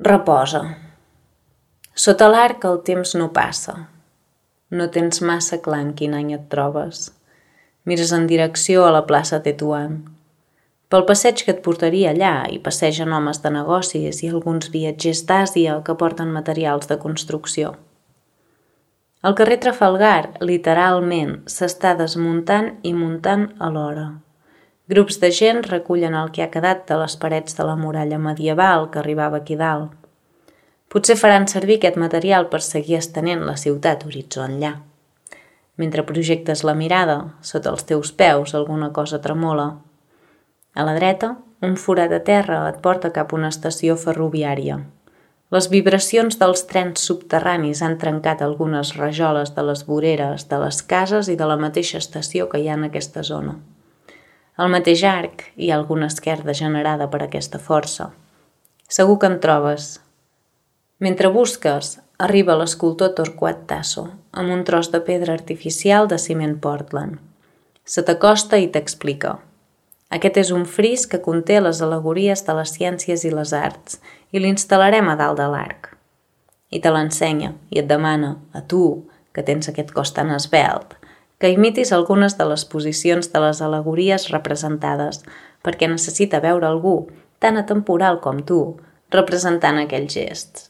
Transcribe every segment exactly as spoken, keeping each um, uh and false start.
Reposa. Sota l'arc el temps no passa. No tens massa clar en quin any et trobes. Mires en direcció a la plaça Tetuan. Pel passeig que et portaria allà hi passegen homes de negocis i alguns viatgers d'Àsia que porten materials de construcció. El carrer Trafalgar, literalment, s'està desmuntant i muntant alhora. Grups de gent recullen el que ha quedat de les parets de la muralla medieval que arribava aquí dalt. Potser faran servir aquest material per seguir estenent la ciutat horitzó enllà. Mentre projectes la mirada, sota els teus peus alguna cosa tremola. A la dreta, un forat a terra et porta cap a una estació ferroviària. Les vibracions dels trens subterranis han trencat algunes rajoles de les voreres, de les cases i de la mateixa estació que hi ha en aquesta zona. Al mateix arc hi ha alguna esquerda generada per aquesta força. Segur que en trobes. Mentre busques, arriba l'escultor Torquat Tasso, amb un tros de pedra artificial de ciment Portland. Se t'acosta i t'explica. Aquest és un fris que conté les al·legories de les ciències i les arts i l'instal·larem a dalt de l'arc. I te l'ensenya i et demana, a tu, que tens aquest cos tan esvelt, que imitis algunes de les posicions de les al·legories representades perquè necessita veure algú tan atemporal com tu representant aquells gests.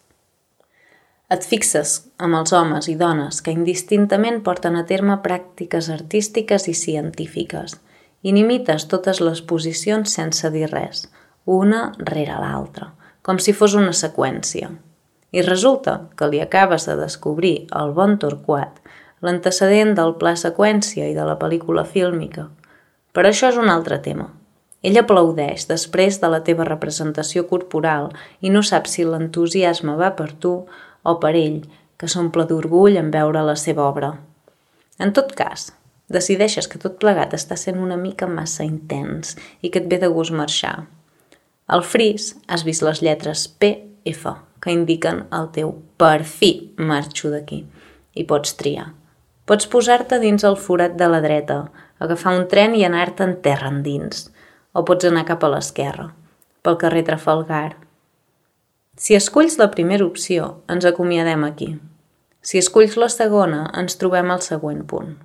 Et fixes amb els homes i dones que indistintament porten a terme pràctiques artístiques i científiques i n'imites totes les posicions sense dir res, una rere l'altra, com si fos una seqüència. I resulta que li acabes de descobrir el bon Torquat, l'antecedent del pla seqüència i de la pel·lícula fílmica. Però això és un altre tema. Ell aplaudeix després de la teva representació corporal i no sap si l'entusiasme va per tu o per ell, que s'omple d'orgull en veure la seva obra. En tot cas, decideixes que tot plegat està sent una mica massa intens i que et ve de gust marxar. Al fris has vist les lletres P F que indiquen el teu per fi marxo d'aquí i pots triar. Pots posar-te dins el forat de la dreta, agafar un tren i anar-te en terra endins, o pots anar cap a l'esquerra, pel carrer Trafalgar. Si esculls la primera opció, ens acomiadem aquí. Si esculls la segona, ens trobem al següent punt.